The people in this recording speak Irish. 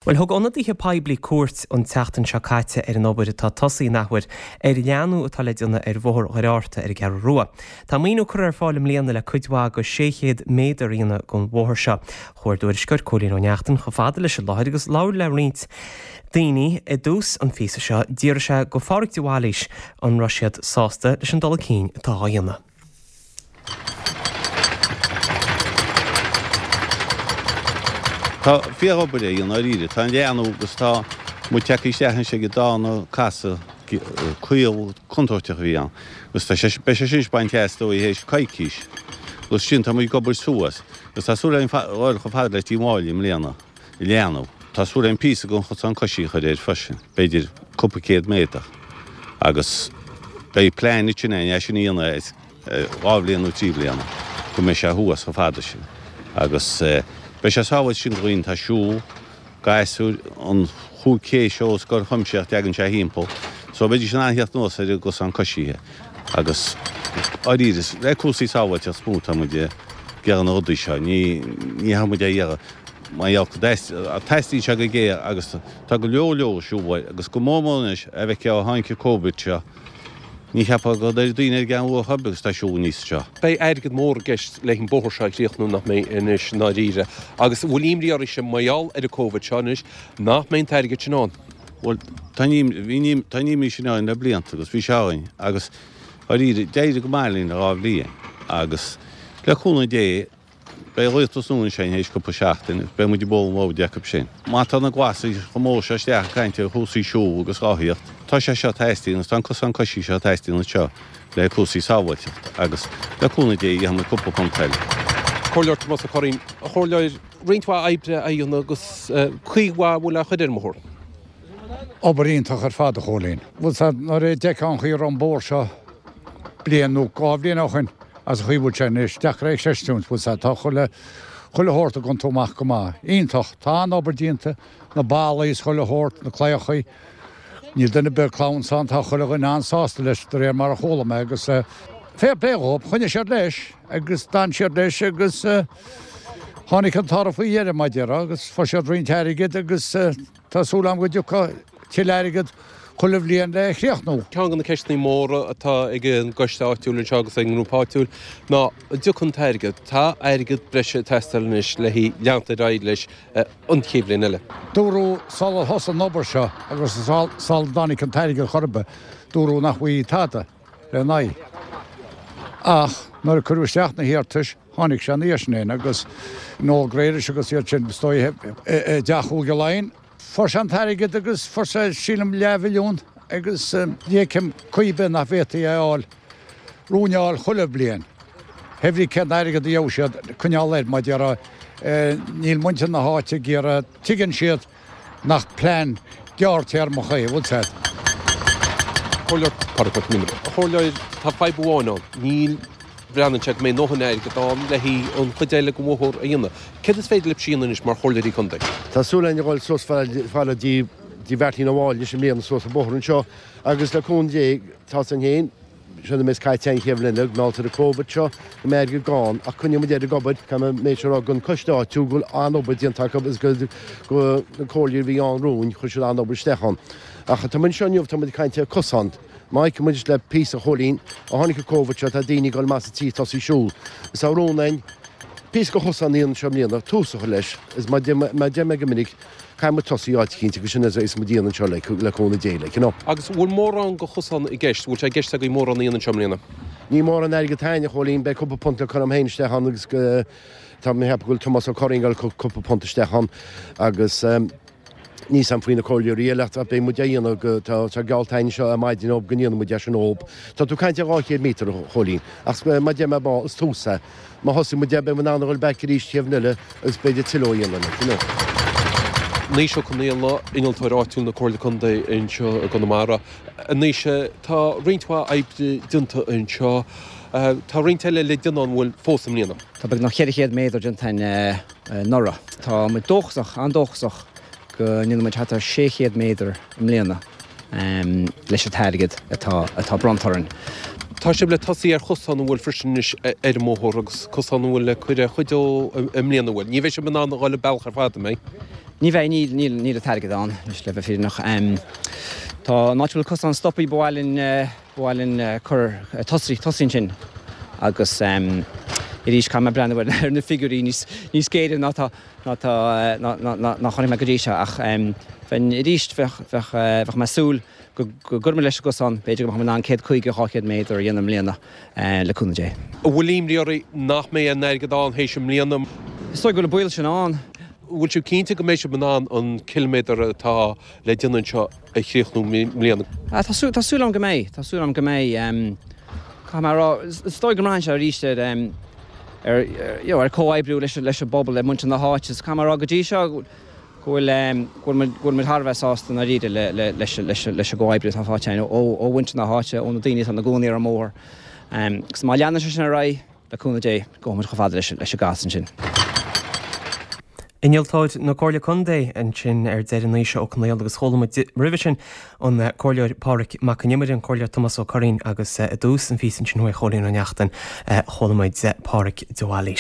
Bhuel, thug ionadaithe poiblí cuairt an tseachtain seo caite ar an obair atá tosaithe an athuair ar leathnú atá le déanamh ar Bhóthar Dhoire Fhátharta ar an gCeathrú Rua. Tá maoiniú curtha ar fáil i mbliana le cuid mhaith de 600 méadar a dhéanamh den bhóthar seo. Chuaigh ár dtuairisceoir Cóilín Ó Neachtain chomh fada leis an láthair agus labhair le roinnt daoine i dtús an phíosa seo. D'fhiafraigh sé de Phádhraic de Bhailís an raibh siad sásta leis an dul chun cinn atá á dhéanamh. Tá fíor-obair á dhéanamh dáiríre. Tá an leathnú agus tá muid tagtha isteach anois ag an darna casadh caol contúirteach a bhí ann agus tá sé, beidh sé sin anois bainte as is dóigh théis coicís agus sin tá muid ag obair suas agus tá súil againn dhul chomh fada le Tí Mháille i mbliana. leathnú. Tá súil againn píosa den chosán coisí a chur air freisin, b'fhéidir cúpla céad méadar, agus beidh plean ansin againn é sin a dhéanamh ar dhá bhliain nó trí bliana, go mbeidh sé thuas chomh fada sin. Agus beidh sé sábháilte sin do dhaoine atá ag siúl, gasúir, an chúig cé seo os gcomhair Chuimsitheach, dtagann sé thimpeall, so beidís in ann theacht anuas ar an gcosán coisithe. Agus dáiríre, le cúrsaí sábháilteachta is mó atá muid ag iarraidh na rudaí seo, ní ní tá muid á iarraidh mar gheall go dteastaíonn sé go géar agus tá go leor leor ag siúl uaidh agus go mór mór anois a bheith ó tháinig an Covid seo, ní cheapfá go raibh daoine ar an gCeathrú Rua chor ar bith agus tá siúl aníos anseo. Beidh airgead mór i gceist leis an bóthar seo a chríochnú nach mbeidh anois i ndáiríre agus an bhfuil imní oraibhse mar gheall ar an Covid seo anois nach mbeidh an t-airgead sin ann? Bhuel, tá an bhí tá an imní sin orainn le blianta agus bhí sé orainn agus dháiríre, d'éirigh go maith linn le dhá bhliain agus le cúnamh Dé beidh rialtas nua ansin théis cúpla seachtain agus beidh muid ag bualadh an bhóid acu sin. Má tá na Glasaigh chomh mór seo isteach ag caint ar chúrsaí siúl agus rothaíocht, tá sé seo ag teastáil agus tá an cosán coisí seo ag teastáil anseo le cúrsaí sábháilteachta agus le cúnamh Dé gheobhaidh muid cúpla punt eile. Comhairleoir Tomás Ó Curraoin, a Chomhairleoir, roinnt mhaith oibre á dhéanamh agus caoi mhaith a bhfuil á chur ar an mbóthar. Obair iontach ar fad, a Chóilín. Bhuel, sea, nuair a d'fheicfeá an chaoi a raibh an bóthar seo bliain nó dhá bhliain ó shin agus an chaoi a bhfuil sé anois, deacair é a chreistiúint, bhuel, sea, tá chuile, chuile shórt ag iontú amach go maith. Iontach. Tá an-obair déanta, na ballaí is chuile shórt, na claíochaí. Níl duine ar bith ag clamhsán, tá chuile dhuine an-sásta leis, de réir mar a chuala mé, agus fair play dhóibh, choinnigh siad leis agus d'fhan siad leis agus tháinig an toradh faoi dheireadh, mar a déarfá, agus fuair siad roinnt airgid agus tá súil agam go dtiocfaidh tuilleadh airgid chuile bhliain le críochnú. Ceann de na ceisteanna móra atá ag an gcoiste áitiúil anseo agus ag an ngrúpa áitiúil ná an dtiocfaidh an t-airgead. Tá airgead breise ag teastáil anois le leanacht ar aghaidh leis an chéad bhliain eile. Dúradh sular thosaigh an obair seo agus sula dtáinig an t-airgead chor ar bith, dúradh nach bhfaighfí tada lena aghaidh. Ach nuair a cuireadh isteach na hiarratais, tháinig sé ina dhiaidh sin agus Noel Grealish agus iad sin, is dóigh, i dTeach Chúige Laighean, fuair sé an t-airgead agus fuair sé, sílim, leathmhilliún agus ní fheicim caoi ar bith nach bhféadfaí é a fháil, rúin a fháil chuile bhliain. Pé brí cén airgead a gheobhaidh siad, coinneáil air, mar a déarfá. Níl muintir na háite ag iarraidh, tuigeann siad nach plean gearrtéarmach é, bhfuil 's a'd. Comhairleoir Pádraig Mac Con Iomaire. A Chomhairleoir, tá fadhb amháin ann, níl, breathnaíonn sé go mbeidh a ndóthain airgead ann le haghaidh an chuid eile den bhóthar a dhéanamh. Céard is féidir libhse a dhéanamh anois mar chomhairleoirí contae? Tá súil againn a dhul suas fad le dtí Mheairtín Ó Máille anois i mbliana suas an bóthar anseo agus le cúnamh Dé, tá 's againn féin, Seo an méid caite an chéad bhliain eile, mar gheall ar an Covid seo, go mbeidh airgead gann, ach coinneoidh muid air ag obair, caithfidh mé méid seo a rá don coiste áitiúil go bhfuil an-obair déanta acu agus go go na comhairleoirí a bhí ann romhainn, chuir siad an-obair isteach ann. Ach tá muid anseo inniu, tá muid ag caint ar cosán. Má fheiceann muid le píosa a Chóilín, ó tháinig an Covid seo, tá daoine ag dul amach as an tí tosaí siúl. Is tá rún againn píosa de chosán a dhéanamh anseo i mbliana, tús a chur leis, is mar mar deir mé go minic, Caithfidh muid tosaí áit eicínt agus sin é is muid a dhéanamh anseo le cúnamh Dé like, you know. Agus an bhfuil mórán de chosán i gceist? Bhfuil sé i gceist agaibh mórán a dhéanamh anseo i mbliana? Níl mórán airgead againn, a Chóilín, beidh cúpla punt le cur agam féin isteach ann agus tá mé ag ceapadh go bhfuil Tomás Ó Curraoin ag dul cúpla punt isteach ann agus níl 's a'm faoi na comhairleoirí eile ach beidh muid á dhéanamh go, tá sé geallta againn anseo ar maidin go ndéanfaidh muid é sin dhób. Tá tú ag caint ar 200 míotar, a Chóilín, ach mar deir mé bá, is tús é. Má thosaigh muid é, beidh muid in ann a dhul back arís chéad bhliain eile agus b'fhéidir tuilleadh a dhéanamh like, you know. Naoise Ó Conaola, innealtóir áitiúil na Comhairle Contae anseo i gConamara. A Naoise, tá roinnt mhaith oibre déanta anseo. Tá roinnt eile le déanamh an bhfuil fós i mbliana? Tá beagnach 400 méadar déanta againn anuraidh. Tá muid dóchasach, an-dóchasach go ndéanfaidh muid thart ar 600 méadar i mbliana leis an t-airgead atá atá bronnta orainn. Tá sibh le tosaí ar chosán an bhfuil freisin anois ar an mbóthar agus cosán an bhfuil le cur ar chuid dó i mbliana an bhfuil? Ní bheidh sibh in ann a dhul an bealach ar fad, an mbeidh? Ní bheidh, níl, níl, níl an t-airgead ann, anois le bheith fírinneach. Tá an áit a bhfuil cosán stoptha, ba mhaith linn, ba mhaith linn cur, tosaí, tosaí ansin agus arís caithfidh mé breathnú ar na figiúirí níos, níos géire ná tá, ná tá, ná, ná, ná, ná chonaic mé go dtí seo ach bheinn arís, bheadh, bheadh, bheadh mé ag súil go, go gcuirfidh muid leis an gcosán, b'fhéidir go mbeadh muid in ann 150, 200 méadar a dhéanamh i mbliana le cúnamh Dé. An bhfuil imní oraibh nach mbeidh an airgead ann théis i mbliana? Is dóigh go bhfuil an baol sin ann. An bhfuil sibh cinnte go mbeidh sibh in ann an ciliméadar atá le déanamh anseo a chríochnú i mbliana? Tá súil agam go mbeidh. Tá súil agam go mbeidh. Caithfidh mé a rá, is dóigh go mbraitheann sé arís ar, ar, you know, ar comhoibriú leis an bpobal, le muintir na háite. Caithfidh mé a rá go dtí seo go bhfuil, go bhfuil muid, go bhfuil muid thar a bheith sásta i ndáiríre le, le, leis, leis, leis an gcomhoibriú atá faighte againn ó, ó mhuintir na háite, ó na daoine atá ina gcónaí ar an mbóthar. Agus má leanann sé sin ar aghaidh, Le cúnamh Dé, gabhfaidh muid chomh fada leis an gcás ansin. Innealtóir na Comhairle Contae ansin ar deireadh Naoise Ó Conaola agus chuala muid roimhe sin an Comhairleoir Pádraig Mac an Iomaire, an Comhairleoir Tomás Ó Curraoin agus i dtús an phíosa ansin uaidh Chóilín Ó Neachtain chuala muid Pádraig de Bhailís.